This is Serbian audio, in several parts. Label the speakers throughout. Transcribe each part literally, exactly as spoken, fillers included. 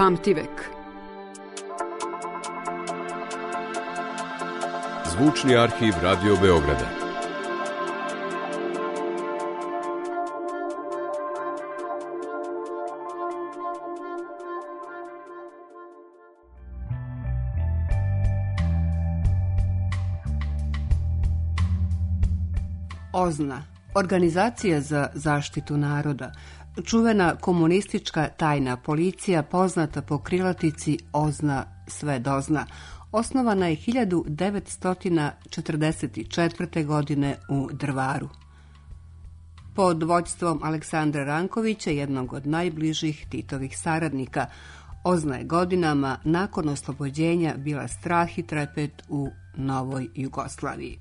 Speaker 1: Pamtivek.
Speaker 2: Zvučni arhiv Radio Beograda.
Speaker 3: OZNA, Organizacija za zaštitu naroda, čuvena komunistička tajna policija poznata po krilatici OZNA sve dozna, osnovana je hiljadu devetsto četrdeset četvrte. godine u Drvaru. Pod vođstvom Aleksandra Rankovića, jednog od najbližih Titovih saradnika, OZNA je godinama nakon oslobođenja bila strah i trepet u novoj Jugoslaviji.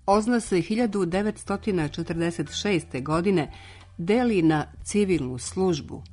Speaker 3: OZNA se hiljadu devetsto četrdeset šeste. godine deli na civilnu službu,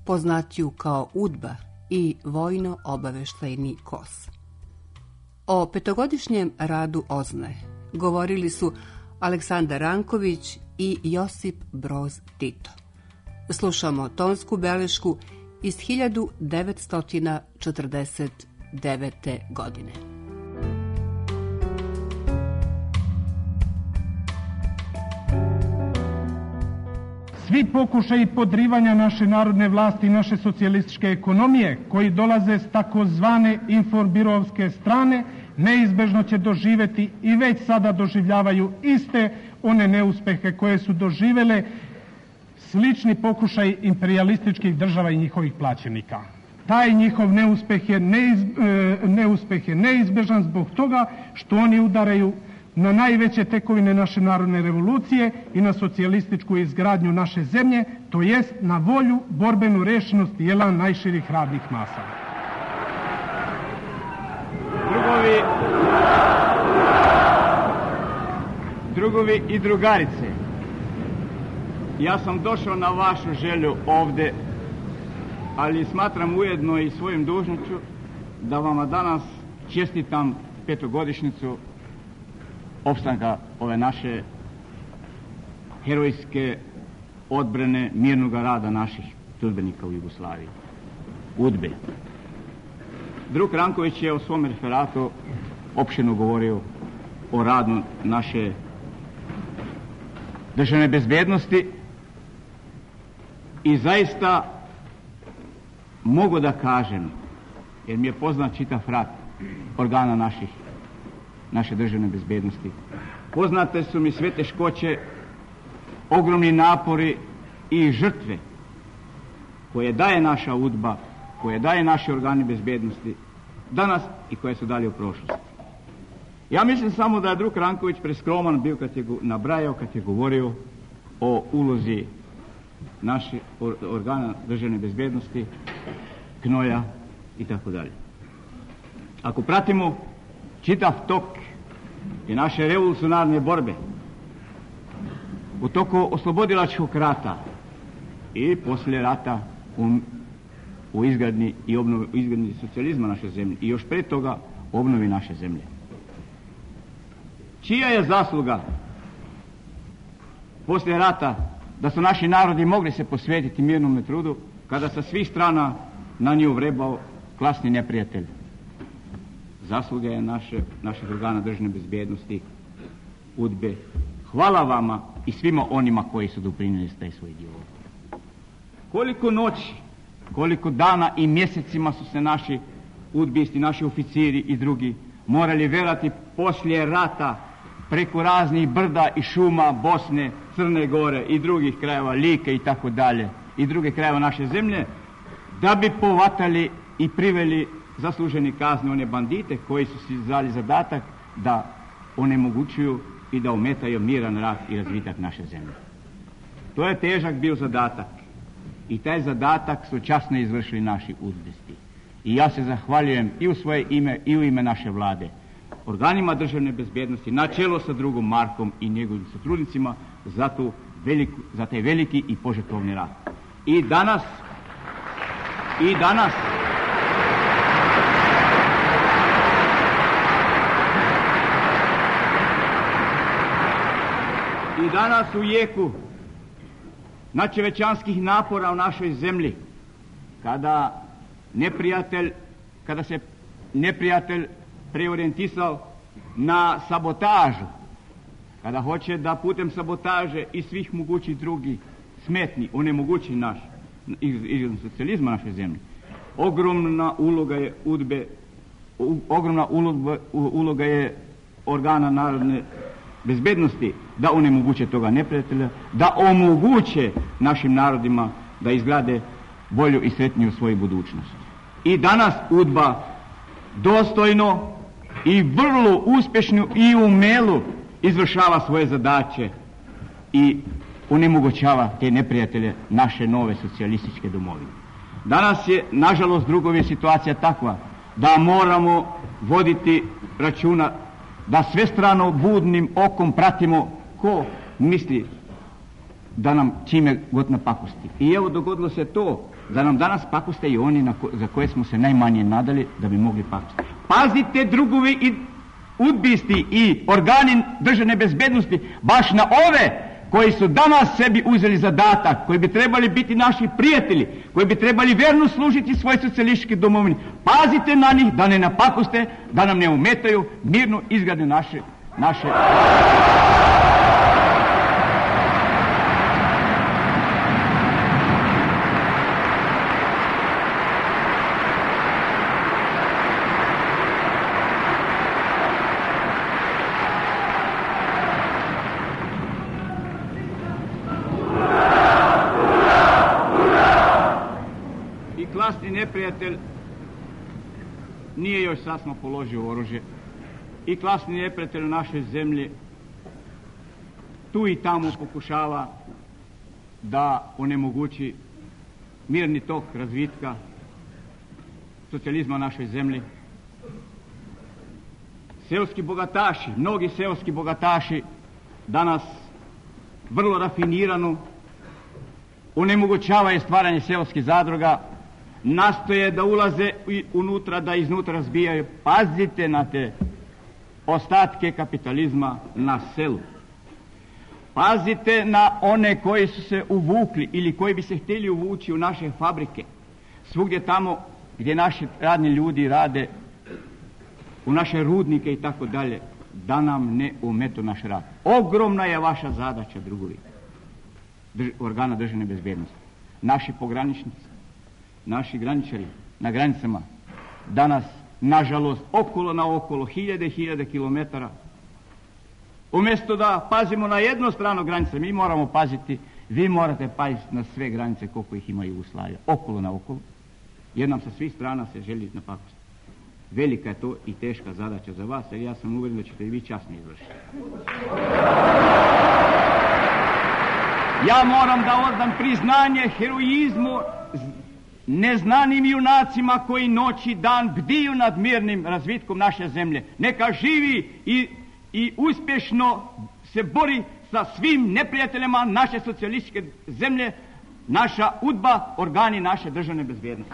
Speaker 3: poznatiju kao UDBA, i vojno-obaveštajni KOS. O petogodišnjem radu OZNA govorili su Aleksandar Ranković i Josip Broz Tito. Slušamo tonsku belešku iz hiljadu devetsto četrdeset devete. godine.
Speaker 4: Svi pokušaji podrivanja naše narodne vlasti i naše socijalističke ekonomije, koji dolaze s takozvane informbirovske strane, neizbežno će doživjeti i već sada doživljavaju iste one neuspehe koje su doživjele slični pokušaj imperijalističkih država i njihovih plaćenika. Taj njihov neuspeh je, neiz, neuspeh je neizbežan zbog toga što oni udaraju na najveće tekovine naše narodne revolucije i na socijalističku izgradnju naše zemlje, to jest na volju, borbenu rešenost i elan najširih radnih masa.
Speaker 5: Drugovi, drugovi i drugarice, ja sam došao na vašu želju ovde, ali smatram ujedno i svojim dužnošću da vama danas čestitam petogodišnjicu opstanka ove naše herojske odbrane mirnog rada naših sudbenika u Jugoslaviji, UDBE. Drug Ranković je u svom referatu opširno govorio o radu naše državne bezbednosti i zaista mogu da kažem, jer mi je poznat čitav rad organa naših naše državne bezbednosti. Poznate su mi sve teškoće, ogromni napori i žrtve koje daje naša UDBA, koje daje naši organi bezbednosti danas i koje su dali u prošlosti. Ja mislim samo da je drug Ranković preskroman bio kad je nabrajao, kad je govorio o ulozi naših organa državne bezbednosti, knoja i tako dalje. Ako pratimo čitav tok i naše revolucionarne borbe u toku oslobodilačkog rata i poslije rata u, u izgradnji i obnovi, u izgradnji socijalizma naše zemlje i još pre toga obnovi naše zemlje. Čija je zasluga poslije rata da su naši narodi mogli se posvetiti mirnom trudu kada sa svih strana na nju vrebao klasni neprijatelj? Zasluga je naše, naših organa državne bezbednosti, UDBE. Hvala vama i svima onima koji su doprinijeli taj svoj dio. Koliko noći, koliko dana i mjesecima su se naši udbisti, naši oficiri i drugi morali verati poslije rata preko raznih brda i šuma Bosne, Crne Gore i drugih krajeva, Like i tako dalje, i druge krajeva naše zemlje, da bi povatali i priveli zasluženi kazne one bandite koji su si dali zadatak da onemogućuju i da ometaju miran rad i razvitak naše zemlje. To je težak bio zadatak i taj zadatak su časno izvršili naši udbisti. I ja se zahvaljujem i u svoje ime i u ime naše vlade organima državne bezbednosti na čelo sa drugom Markom i njegovim sotrudnicima za, tu veliku, za taj veliki i požrtvovni rad. I danas i danas i danas u jeku nadčovečanskih napora u našoj zemlji, kada neprijatelj, kada se neprijatelj preorijentisao na sabotažu, kada hoće da putem sabotaže i svih mogućih drugih smetni onemogući naš iz socijalizma naše zemlje, ogromna uloga je udbe, ogromna uloga, uloga je organa narodne bezbednosti da onemoguće toga neprijatelja, da omoguće našim narodima da izgrade bolju i sretniju svoju budućnost. I danas udba dostojno i vrlo uspješno i umelo izvršava svoje zadaće i onemogućava te neprijatelje naše nove socijalističke domovine. Danas je, nažalost, drugovi situacija takva da moramo voditi računa da svestrano budnim okom pratimo ko misli da nam čime god napakosti. I evo dogodilo se to da nam danas pakoste i oni na ko, za koje smo se najmanje nadali da bi mogli pakosti. Pazite drugovi i udbisti i organi državne bezbednosti baš na ove koji su danas sebi uzeli zadatak, koji bi trebali biti naši prijatelji, koji bi trebali vjerno služiti svoj socijalistički domovini. Pazite na njih da ne napakoste, da nam ne umetaju mirno izgrade naše naše klasni neprijatelj nije još sasvim položio oružje i klasni neprijatelj u našoj zemlji tu i tamo pokušava da onemogući mirni tok razvitka socijalizma u našoj zemlji. Seoski bogataši, mnogi seoski bogataši danas vrlo rafinirano onemogućavaju stvaranje seoskih zadruga, nastoje da ulaze unutra, da iznutra razbijaju. Pazite na te ostatke kapitalizma na selu. Pazite na one koji su se uvukli ili koji bi se htjeli uvući u naše fabrike, svugdje tamo gdje naši radni ljudi rade, u naše rudnike i tako dalje, da nam ne umetu naš rad. Ogromna je vaša zadaća, drugovi, drž, organa državne bezbednosti. Naši pograničnici, naši graničari na granicama danas, nažalost, okolo na okolo, hiljade i hiljade kilometara. Umjesto da pazimo na jednu stranu granice, mi moramo paziti, vi morate paziti na sve granice koliko ih ima Jugoslavija, okolo na okolo, jer nam sa svih strana se želi napakostiti. Velika je to i teška zadaća za vas, jer ja sam uvjeren da ćete i vi časno izvršiti. Ja moram da oddam priznanje heroizmu neznanim junacima koji noć i dan bdiju nad mirnim razvitkom naše zemlje. Neka živi i, i uspješno se bori sa svim neprijateljima naše socijalističke zemlje, naša udba, organi naše državne bezbednosti.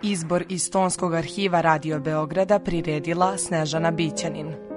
Speaker 1: Izbor iz Tonskog arhiva Radio Beograda priredila Snežana Bićanin.